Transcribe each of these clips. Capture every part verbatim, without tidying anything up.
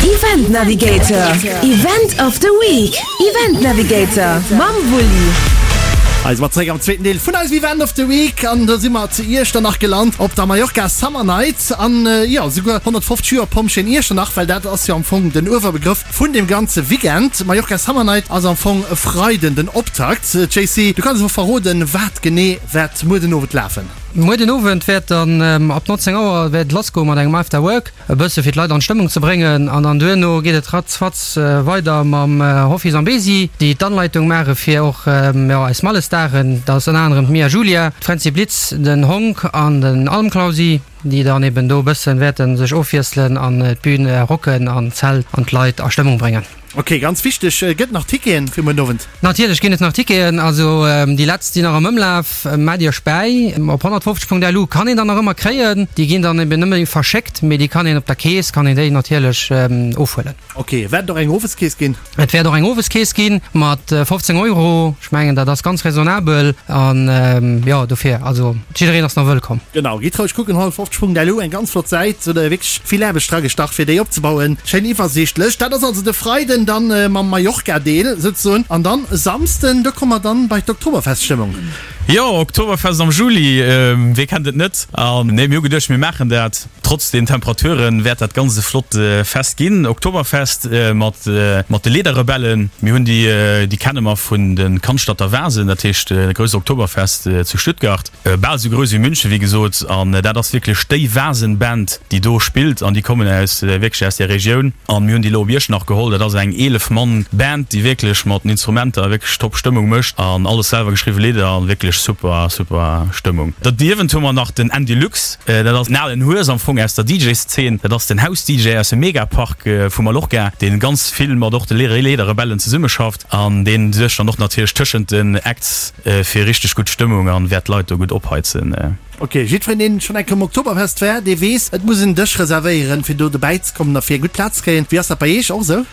Event Navigator, Event of the Week, Event Navigator mam Wulli. Hei si mer zeréck am zweeten Deel vun eisem Event of the Week an do si mer zu Iechternach gelant op der Mallorca Summer Night an jo souguer honnertfofzeg Joer Pompjeeën Iechternach, well dat ass jo am Fong den Uewerbegrëff vun deem ganze Weekend. Mallorca Summer Night ass am Fong e Freiden den Optakt. Jaycee, du kanns elo verroden, wat genee wäert muer den Owend lafen? Muer den Owend wäert dann ab neunzéng Auer wäert et lassgoe mat engem After Work, e bësse fir d'Leit an d'Stëmmung ze bréngen an dann duerno geet et ratzfatz weider mam Hoffi Zambesi, déi d'Anleitung maache fir och jo eis Mallesdagen. Dat ass ënner anerem d'Mia Julia, d'Fränzi Blitz, den Honk an den Almklausi, déi dann eben do e bësse wäerte sech ofwiesselen an d'Bün rocken an d'Zelt an d'Leit a Stëmmung bréngen. Ok, ganz wichteg, gëtt nach Ticketen fir muer den Owend? Natierlech ginn et nach Ticketen, also déi letzt sinn nach am Ëmlaf, maacht iech bäi. Op honnertfofzeg Punkt lu kann een der nach ëmmer kréien, déi ginn dann eben nëmme verschéckt, mee déi kann een op der Kees, kann een déi natierlech ofhuelen. Ok, wäert et och eng Oweskees ginn? Et wäert och eng Oweskees ginn, mat fofzéng Euro, ech mengen dat ass ganz raisonnabel an jo dofir, also jiddereen ass nach wëllkomm. Genau, gitt roueg kucken, honnertfofzeg Punkt lu, eng ganz flott Säit, hutt der wierklech vill Aarbecht dragestach fir déi opzebauen, schéin iwwersiichtlech. Dat ass also de Freiden dann mam Mallorca-Deel souzesoen an dann e Samsden, do komme mer dann bei d'Oktoberfest-Stëmmung. Jo, Oktoberfest am Juli, wee kennt et net? An nee, mir hu geduecht, mir maachen dat. Trotz den Temperaturen wäert dat ganz e flott Fest ginn. Oktoberfest mat mat de Lederrebellen. Mir hunn déi, déi kenne mer vun de Cannstatter Wasen, dat heescht e grousst Oktoberfest zu Stuttgart. Bal esou grouss wéi München, wéi gesot. An dat ass wierklech déi Wasen-Band, déi do spillt. An déi kommen aus, wierklech aus där Regioun. An mir hunn déi elo op Iechternach geholl. Dat ass eng eelef Mann Band, déi wierklech mat den Instrumenter wierklech top Stëmmung mécht. An alles selwer geschriwwe Lidder an wierklech super, super Stëmmung. Derniewent hu mer nach den Andy Lux. Dat ass en alen Hues am Fong aus der D J-Szene. Dat ass den House-D J aus dem Megapark vu Mallorca, dee ganz vill mat och de Lederrebellen zesummeschafft. An dee suergt dann och natierlech tëschent den Acts fir richteg gutt Stëmmung an wäert d'Leit do gutt opheizen. Ok, jiddwereen deen schonn eng Kéier um Oktoberfest war, dee weess, et muss en Dësch reservéieren, fir do dobäi ze kommen a fir eng gutt Plaz ze kréien. Wéi ass dat bei Iech? Och esou?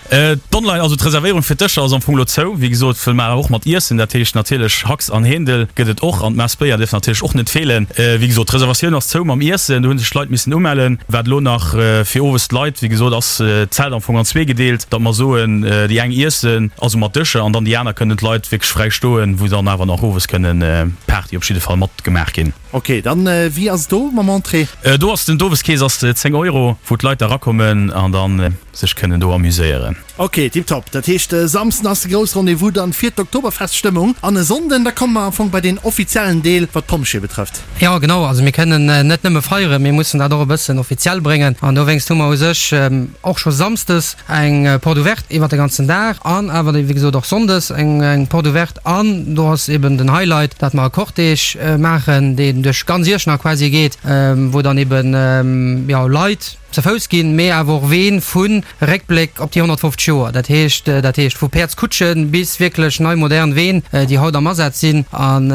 D'Online, also d'Reservéierung fir d'Dëscher ass am Fong elo zou. Wéi gesot, wëll mer och mat iessen, dat heescht natierlech Hax an Hendel gëtt et och an d'Mass Béier dierf natierlech och net feelen. Wéi gesot, d'Reservatioun ass zou mam Iessen, do hu sech d'Leit missen umellen. Wat elo nach fir owes d'Leit, wéi gesot, ass d'Zelt am Fong an zwee gedeelt, datt mer soen, déi eng iessen, also mat Dëscher, an dann déi aner kënnen d'Leit wierklech fräi stoen, wou dann awer nach owes kënnen Party op jidde Fall matgemaach ginn. Ok, dann wéi ass et do mam Entrée? Do ass den d'Oweskees ass zéng Euro, wou d'Leit da rakommen an dann sech kënnen do amuséieren. Ok, tiptop. Dat heescht e Samsden ass de grousse Rendez-vous dann fir d'Oktoberfeststëmmung an e Sonnden da komme mer am Fong bei deen offiziellen Deel wat d'Pompjeeë betrëfft. Jo genau, also mir kënnen net nëmme feieren, mir mussen dat och e bëssen offiziell bréngen an dowéinst hu mer u sech och scho samsdes eng Porte ouverte iwwer de ganzen Dag an awer wéi gesot och sonndes eng Porte ouverte. An do ass eben den Highlight, dat mer e Cortège maachen, deen duerch ganz Iechternach quasi geet, wou dann eben, jo, Leit ze Fouss ginn, mee awer och Ween vu Réckbléck op déi honnertfofzeg Joer. Dat heescht, dat heescht vu Päerdskutschen bis wierklech nei modern Ween, déi haut am Asaz sinn. An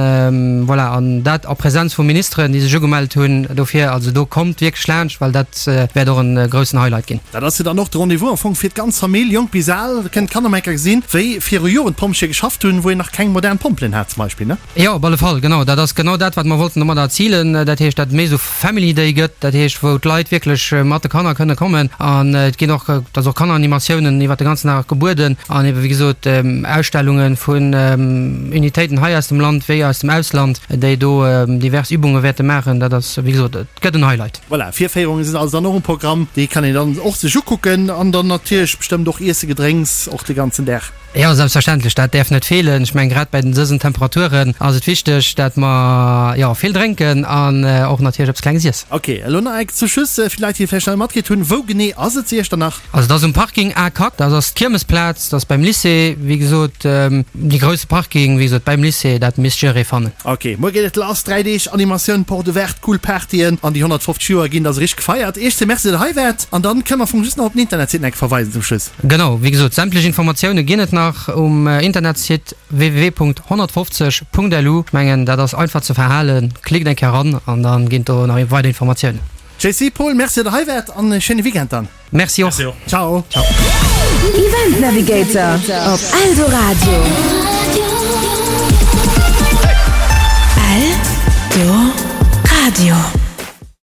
voilà, an dat a Präsenz vu Ministeren, déi sech ugemellt hunn dofir. Also do kommt wierklech laanscht, well dat wäert och e groussen Highlight ginn. Dat ass jo dann och de Rendez-vous am Fong fir d'ganz Famill, jonk bis al. Da kënnen d'Kanner mol eng Kéier gesinn, wéi viru Joren d'Pompjeeë geschafft hunn, wou een nach keng modern Pompelen hat zum Beispill, ne? Jo, op alle Fall, genau. Dat ass genau dat, wat mer wollten domadder erzilen. Dat heescht, datt et méi esou Family Day gëtt, dat heescht, wou d'Leit wierklech mat de Kanner kënne kommen. An et ginn och, et ass och Kanneranimatiounen iwwert de ganzen Dag gebueden an ebe wéi gesot Ausstellunge vun Unitéiten hei aus dem Land wéi aus dem Ausland, déi do divers Übunge wäerte maachen. Dat ass, wéi gesot, et gëtt en Highlight. Voilà, Virféierunge sinn also dann och um Programm. Déi kann een dann och sech ukucken an dann natierlech bestëmmt och Iesse, Gedrénks och de ganzen Dag. Jo, selbstverständlech, dat däerf net feelen. Ech mengen, grad bei den dësen Temperaturen ass et wichteg, dat mer, jo, vill drénken an och natierlech eppes Klenges iessen. Ok, elo nach eng zum Schluss, fir d'Leit, déi et vläicht nach net matkritt hunn, Wou genee ass et zu Iechternach? Also et ass um Parking A K, dat ass d'Kiermesplaz, dat ass beim Lycée, wéi gesot, dee grousse Parking, wéi gesot, beim Lycée, dat misst jidderee fannen. Ok, muer geet et lass, dräi Deeg Animatioun, Porte ouverte, cool Partyen an déi honnertfofzeg Joer ginn da sou richteg gefeiert. Iech zwee Merci, datt der hei waart an dann kënne mer am Fong just nach op den Internetsite nach eng Kéier verweisen zum Schluss. Genau, wéi gesot, sämtlech Informatioune ginn et nach um Internetsite w w w Punkt honnertfofzeg Punkt lu. Ech mengen, dat ass einfach ze verhalen. Klickt eng Kéier eran an da ginn et do nach weider Informatiounen. J C, Paul, Merci, datt der hei waart an e schéine Weekend dann. Merci och. Ciao. Ciao. Event Navigator op Eldoradio. Eldoradio.